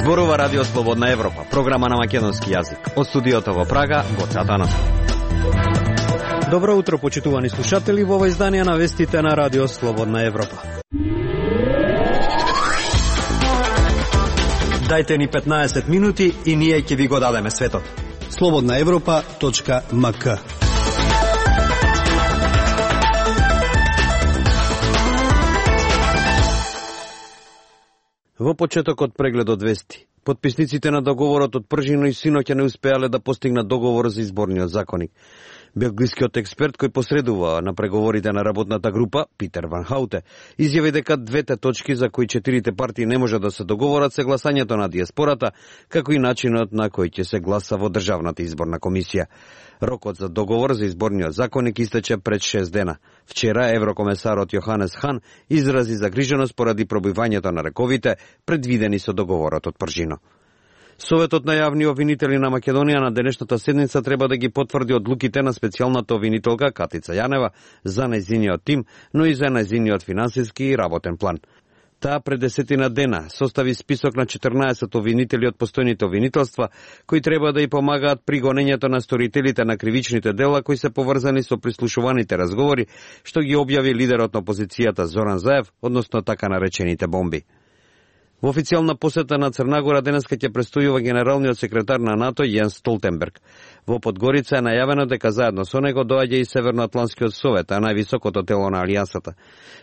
Зборува Радио Слободна Европа, програма на македонски јазик. Од студиото во Прага, Гоце Атанасов. Добро утро, почитувани слушатели, во ова издание на вестите на Радио Слободна Европа. Дајте ни 15 минути и ние ќе ви го дадеме светот. slobodnaevropa.mk. Во почетокот преглед од вести. Потписниците на договорот од пржино и синоќа не успеале да постигнат договор за изборниот законник. Белгискиот експерт кој посредува на преговорите на работната група, Питер Ван Хауте, изјави дека двете точки за кои четирите партии не може да се договорат се гласањето на диаспората, како и начинот на кој ќе се гласа во Државната изборна комисија. Рокот за договор за изборниот законник истече пред 6 дена. Вчера еврокомесарот Јоханес Хан изрази загриженост поради пробивањето на рековите предвидени со договорот од пржино. Советот на јавни обвинители на Македонија на денешната седница треба да ги потврди одлуките на специјалната обвинителка Катица Јанева за нејзиниот тим, но и за нејзиниот финансиски и работен план. Таа пред 10 дена состави список на 14 обвинители од постојните обвинителства, кои треба да ја помагаат при гонењето на сторителите на кривичните дела кои се поврзани со прислушуваните разговори, што ги објави лидерот на опозицијата Зоран Заев, односно така наречените бомби. Во официјална посета на Црнагора денеска ќе престојува генералниот секретар на НАТО Јенс Столтенберг. Во Подгорица е најавено дека заедно со него доаѓа и Северноатлантскиот совет, а највисокото тело на алијансата.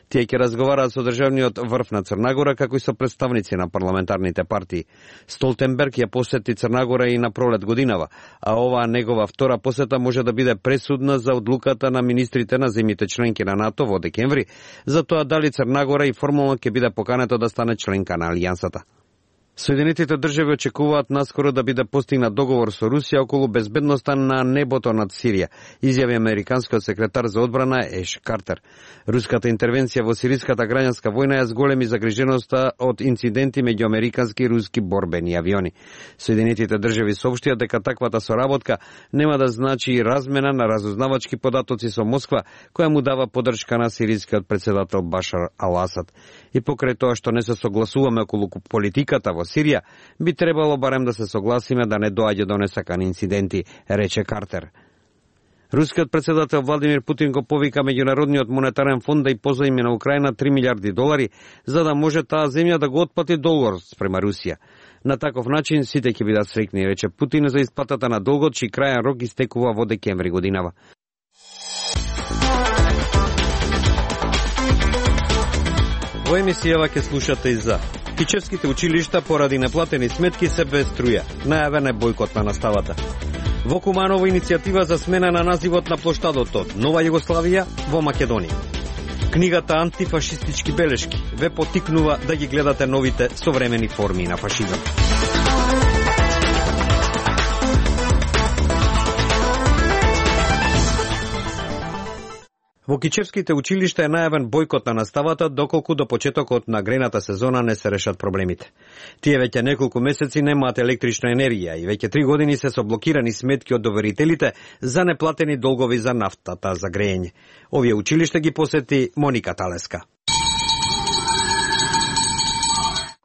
Тие ќе разговараат со државниот врв на Црнагора, како и со представници на парламентарните партии. Столтенберг ја посети Црнагора и на пролет годинава, а оваа негова втора посета може да биде пресудна за одлуката на министрите на земјите членки на НАТО во декември, за тоа дали Црнагора и формално ќе биде покането да стане членка на алијансата. Соединетите држави очекуваат наскоро да биде постигнат договор со Русија околу безбедноста на небото над Сирија, изјави американскиот секретар за одбрана Еш Картер. Руската интервенција во сириската граѓанска војна ја зголеми загриженоста од инциденти меѓу американски и руски борбени авиони. Соединетите држави соопштија дека таквата соработка нема да значи размена на разузнавачки податоци со Москва, која му дава поддршка на сирискиот председател Башар Ал-Асад. И покрај тоа што не се согласуваме околу политиката во Сирија, би требало барем да се согласиме да не доаѓа до несакани инциденти, рече Картер. Рускиот председател Владимир Путин го повика Меѓународниот монетарен фонд да и позајми на Украина $3 милиарди, за да може таа земја да го отплати долгот спрема Русија. На таков начин сите ќе бидат среќни, рече Путин за исплатата на долгот, чиј крајен рок истекува во декември годинава. Во емисијава ќе слушате и за Кичевските училишта поради неплатени сметки се без струја. Најавен е бојкот на наставата. Во Куманово иницијатива за смена на називот на плоштадот од Нова Југославија во Македонија. Книгата Антифашистички белешки ве потикнува да ги гледате новите современи форми на фашизам. Во Кичевските училишта е најавен бојкот на наставата доколку до почетокот на грејната сезона не се решат проблемите. Тие веќе неколку месеци немаат електрична енергија и веќе 3 години се со блокирани сметки од доверителите за неплатени долгови за нафтата за грејење. Овие училишта ги посети Моника Талеска.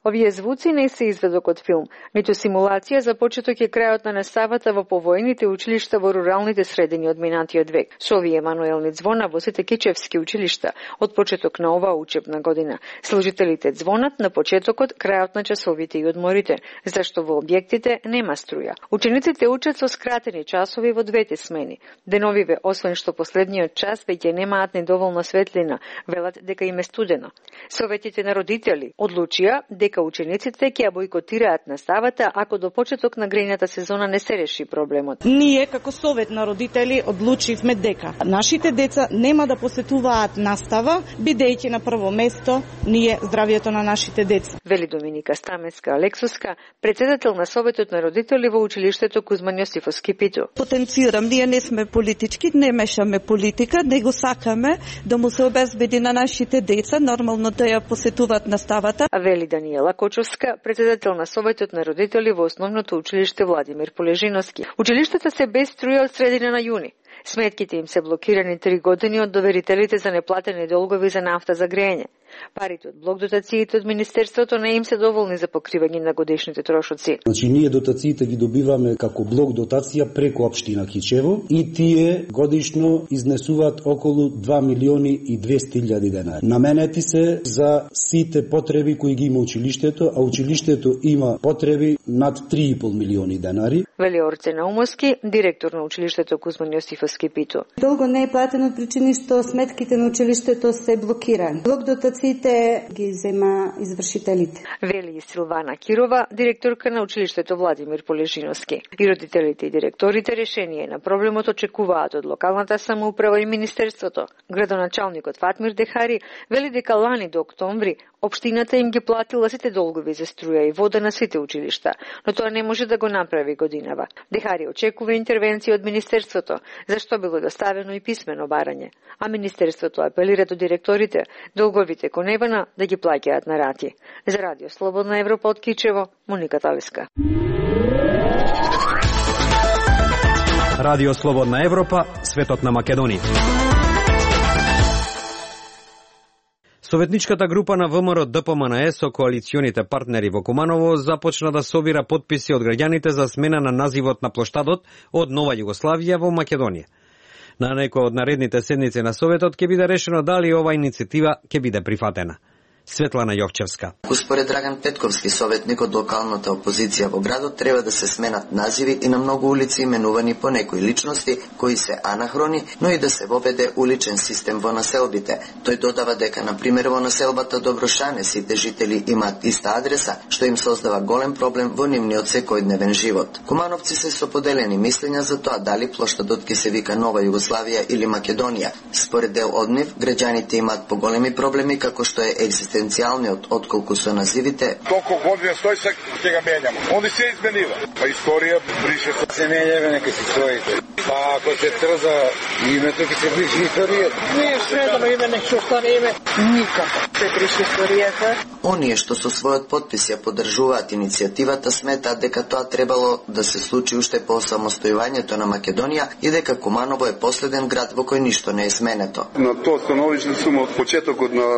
Овие звуци не се изведок од филм, ниту симулација за почеток е крајот на наставата во повојните училишта во руралните средини од минатиот век. Со овие мануелни звона во сите кичевски училишта од почеток на оваа учебна година. Служителите звонат на почетокот, крајот на часовите и одморите, зашто во објектите нема струја. Учениците учат со скратени часови во двете смени. Деновиве, освен што последниот час веќе немаат недоволна светлина, велат дека им е студено. Советите на родители одлучија дека учениците ќе ја бојкотираат наставата ако до почеток на грејната сезона не се реши проблемот. Ние како совет на родители одлучивме дека нашите деца нема да посетуваат настава, бидејќи на прво место ние здравието на нашите деца. Вели Доминика Стамеска Алексуска, председател на советот на родители во училиштето Кузман Јосифовски Питу. Потенцирам, ние не сме политички, не мешаме политика, него сакаме да му се обезбеди на нашите деца нормално да ја посетуваат наставата. А вели Даниела Кочовска, председател на советот на родители во основното училиште Владимир Полежиновски. Училиштата се без струја од средина на јуни. Сметките им се блокирани 3 години од доверителите за неплатени долгови за нафта за грејење. Парите од блок дотациите од Министерството не им се доволни за покривање на годишните трошоци. Значи, ние дотациите ги добиваме како блок дотација преку општина Кичево и тие годишно изнесуваат околу 2.200.000 денари. Наменети се за сите потреби кои ги има училиштето, а училиштето има потреби над 3,5 милиони денари. Вели Орце Наумовски, директор на училиштето Кузман Јосифовски Пито. Долго не е платено од причини што сметките на училиштето се блокирани. Блок дотациите ги зема извршителите. Вели и Силвана Кирова, директорка на училиштето Владимир Полежиновски. И родителите и директорите решение на проблемот очекуваат од локалната самоуправа и Министерството. Градоначалникот Фатмир Дехари вели дека лани до октомври општината им ги платила сите долгови за струја и вода на сите училишта, но тоа не може да го направи годинава. Дехари очекува интервенција од Министерството, зашто било доставено и писмено барање. А Министерството апелира до директорите долговите кон Евана да ги плаќаат на рати. За Радио Слободна Европа од Кичево, Моника Талиска. Радио Слободна Европа, светот на Македонија. Советничката група на ВМРО ДПМНЕ со коалиционите партнери во Куманово започна да собира потписи од граѓаните за смена на називот на плоштадот од Нова Југославија во Македонија. На некој од наредните седници на Советот ќе биде решено дали ова иницијатива ќе биде прифатена. Светлана Јовчевска. Според Драган Петковски, советник од локалната опозиција во градот, треба да се сменат називи и на многу улици именувани по некои личности кои се анахрони, но и да се воведе уличен систем во населбите. Тој додава дека, на пример, во населбата Доброшане сите жители имаат иста адреса, што им создава голем проблем во нивниот секојдневен живот. Кумановци се со поделени мислења за тоа дали плоштадот ќе се вика Нова Југославија или Македонија. Според дел од нив, граѓаните имаат поголеми проблеми како што е екзистенцијалниот отколку со називите. Толку година стои се ќе го менјам. Онди се изменива. Па историја брише се менјава нека си стоите. Па ако се трза името ќе се брише историјата. Не средно име не ќе остане име никако. Се брише историјата. Оние што со својот подпис ја поддржуваат иницијативата сметаат дека тоа требало да се случи уште по самостојувањето на Македонија и дека Куманово е последен град во кој ништо не е сменето. На тоа становиште сум од почетокот на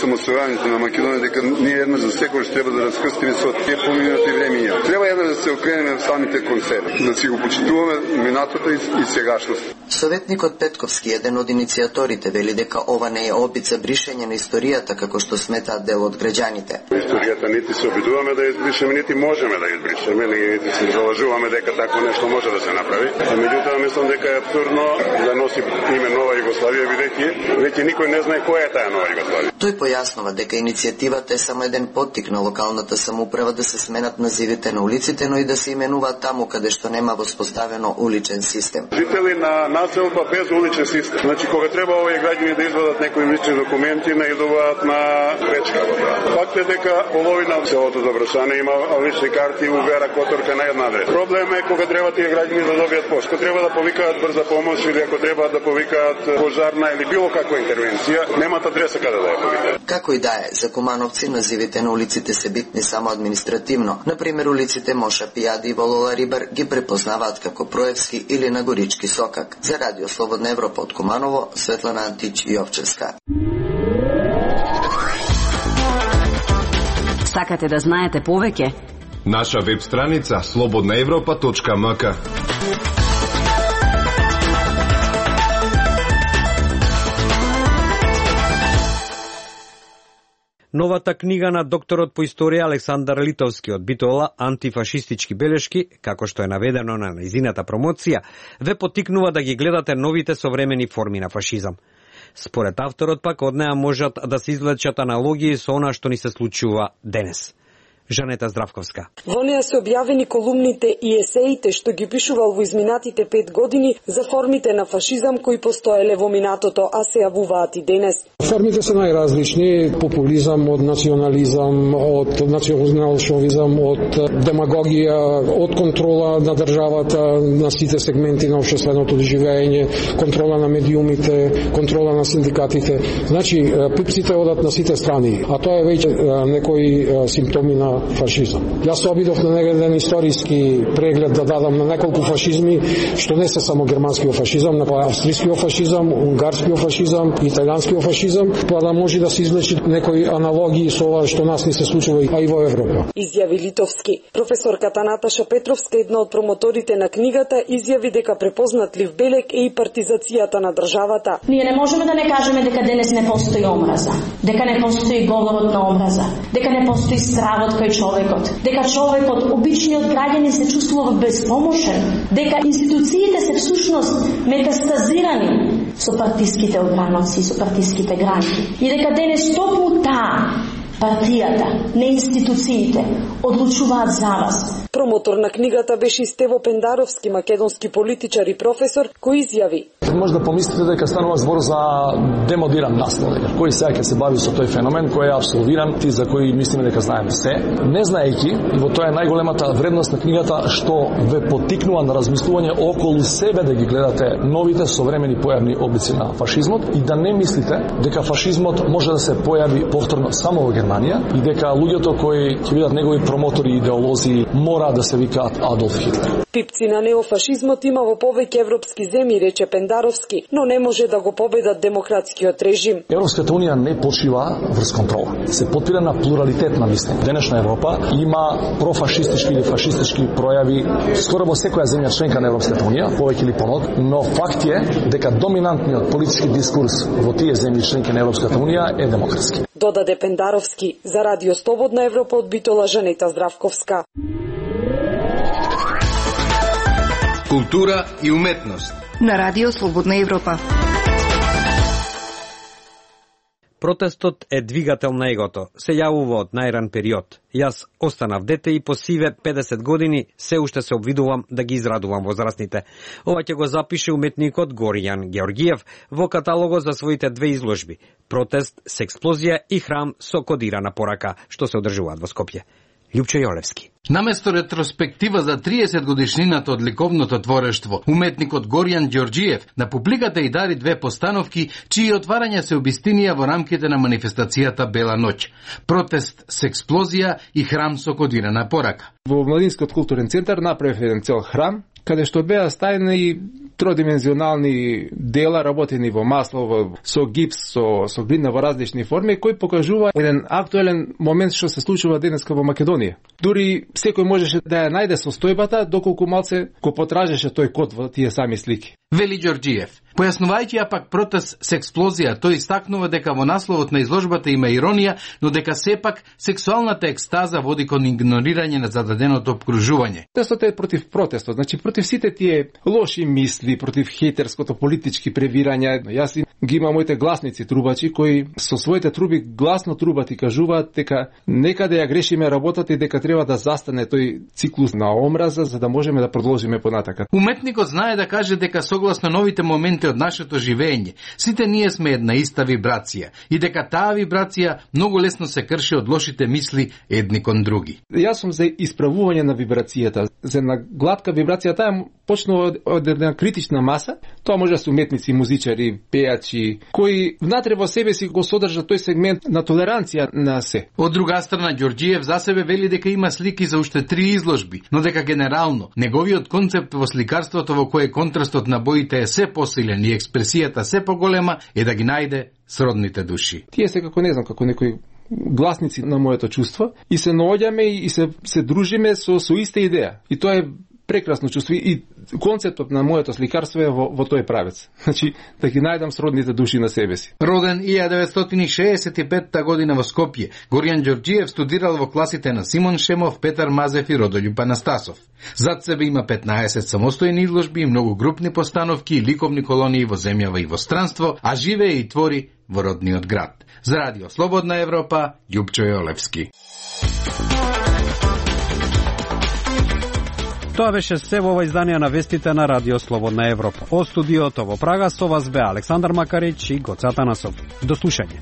самостојувањето на Македонија дека ние еднаш за секој треба да раскрстиме со тие поминати времиња. Треба еднаш да се окренеме самите кон себе, да си го почитуваме минатото и сегашност. Советникот Петковски, еден од иницијаторите, вели дека ова не е опит за бришење на историјата како што сметаат дел од граѓаните. Историјата нити се обидуваме да избришеме, нити можеме да избришеме, нити се залажуваме дека такво нешто може да се направи. Меѓутоа мислам дека е абсурдно да носи име Нова Југославија, бидејќи веќе никој не знае која е таа Нова Југославија. Тој појаснува дека иницијативата е само еден поттик на локалната самоуправа да се сменат називите на улиците, но и да се именуваат таму каде што нема воспоставено уличен систем. Жители на населба без уличен систем. Значи кога треба овие граѓани да извадат некои лични документи, наидуваат на пречка. Факт е дека половина од селото Доброшане има лични карти у Вера Которка на една адреса. Проблем е кога треба тие граѓани да добијат помош. Кога треба да повикаат брза помош или ако треба да повикаат пожарна или било каква интервенција, немаат адреса каде да ја повикаат. Како и да е, за Кумановци називите на улиците се битни само административно. Например, улиците Моша Пијади и Волола Рибар ги препознаваат како Проевски или Нагорички Сокак. За Радио Слободна Европа од Куманово, Светлана Антич Јовчевска. Сакате да знаете повеќе? Наша веб страница slobodnaevropa.mk. Новата книга на докторот по историја Александар Литовски од Битола антифашистички белешки, како што е наведено на нејзината промоција, ве поттикнува да ги гледате новите современи форми на фашизам. Според авторот пак од неа можат да се извлечат аналогии со она што ни се случува денес. Жанета Здравковска. Во неа се објавени колумните и есеите што ги пишувал во изминатите 5 години за формите на фашизам кои постоеле во минатото, а се јавуваат и денес. Формите се најразлични: популизам, од национализам, од националшовизам, од демагогија, од контрола на државата на сите сегменти на општественото живење, контрола на медиумите, контрола на синдикатите. Значи, пипците одат на сите страни, а тоа е веќе некои симптоми на на фашизам. Јас се обидов на еден историски преглед да дадам на неколку фашизми, што не се само германскиот фашизам, но австријскиот фашизам, унгарскиот фашизам, италијанскиот фашизам, па да може да се извлечи некои аналогии со ова што нас не се случува а и во Европа. Изјави Литовски. Професорката Наташа Петровска, една од промоторите на книгата, изјави дека препознатлив белег е и партизацијата на државата. Ние не можеме да не кажеме дека денес не постои омраза, дека не постои говорот на омраза, дека не постои стравот кај човекот, дека човекот, обичниот граѓанин се чувствува безпомошен, дека институциите се всушност метастазирани со партиските ограноци, со партиските гранки и дека денес токму таа партијата, не институциите, одлучуваат за вас. Промотор на книгата беше Стево Пендаровски, македонски политичар и професор, кој изјави: Може да помислите дека станува збор за демодиран наслов, кој сега ќе се бави со тој феномен кој е абсолвиран, ти за кој мислиме дека знаеме се, не знаејќи, и во тоа е најголемата вредност на книгата, што ве поттикнува на размислување околу себе да ги гледате новите современи појавни облици на фашизмот и да не мислите дека фашизмот може да се појави повторно само во Германија и дека луѓето кои ќе бидат негови промотори и идеолози мора да се викаат Адолф Хитлер. Пипци на неофашизмот има во повеќе европски земји, рече Пендаровски, но не може да го победат демократскиот режим. Европската унија не почива врз контрола. Се потпира на плуралитет на мислење. Денешна Европа има профашистички или фашистички пројави скоро во секоја земја членка на Европската унија, повеќе или понод, но факт е дека доминантниот политички дискурс во тие земји членки на Европската унија е демократски. Додаде Пендаровски. За Радио Слободна Европа од Битола, Жанета Здравковска. Култура и уметност на Радио Слободна Европа. Протестот е двигател на егото. Се јавува од најран период. Јас останав дете и по сиве 50 години се уште се обвидувам да ги израдувам возрастните. Ова ќе го запише уметникот Горијан Георгиев во каталогот за своите две изложби: Протест с експлозија и Храм со кодирана порака, што се одржуваат во Скопје. Лјупчо Јолевски. Наместо ретроспектива за 30 годишнината од ликовното творештво, уметникот Горијан Ѓорѓиев на публиката и дари две постановки, чии отварања се обистинија во рамките на манифестацијата Бела ноќ. Протест с експлозија и Храм со кодирана порака. Во Младинскиот културен центар направив еден цел храм, каде што беа стајни тродимензионални дела работени во масло, со гипс, со глина во различни форми, кој покажува еден актуелен момент што се случува денеска во Македонија. Дури секој можеше да ја најде состојбата, доколку малце го потражеше тој код во тие сами слики. Вели Ѓорѓиев. Појаснувајќи ја пак протест с експлозија, тој истакнува дека во насловот на изложбата има иронија, но дека сепак сексуалната екстаза води кон игнорирање на зададеното обкружување. Протестот е против протестот, значи против сите тие лоши мисли, против хејтерското политички превирање. Јас ги имам моите гласници трубачи кои со своите труби гласно трубат и кажуваат дека некаде ја грешиме работата и дека треба да застане тој циклус на омраза за да можеме да продолжиме понатака. Уметникот знае да каже дека согласно новите моменти од нашето живење, сите ние сме една иста вибрација и дека таа вибрација многу лесно се крши од лошите мисли едни кон други. Јас сум за исправување на вибрацијата, за една гладка вибрација, таа почнува од една критична маса, тоа може да се уметници, музичари, пејачи, кои внатре во себе си го содржат тој сегмент на толеранција на се. Од друга страна, Ѓорѓиев за себе вели дека има слики за уште 3 изложби, но дека генерално неговиот концепт во сликарството во кое контрастот на боите е се посилен и експресијата се поголема е да ги најде сродните души. Тие се како не знам, како некои гласници на моето чувство и се наоѓаме и се дружиме со иста идеја. И тоа е прекрасно чувство и концептот на моето сликарство е во тој правец. Значи, да ги најдам сродните души на себе си. Роден 1965 година во Скопје, Горијан Ѓорѓиев студирал во класите на Симон Шемов, Петар Мазев и Родољуб Анастасов. Зад себе има 15 самостојни изложби и многу групни постановки и ликовни колонии во земјава и во странство, а живее и твори во родниот град. За Радио Слободна Европа, Лјупчо Јолевски. Тоа беше се во ова издание на вестите на Радио Слободна Европа. Од студиото во Прага со вас бе Александар Макарич и Гоце Атанасов. До слушање.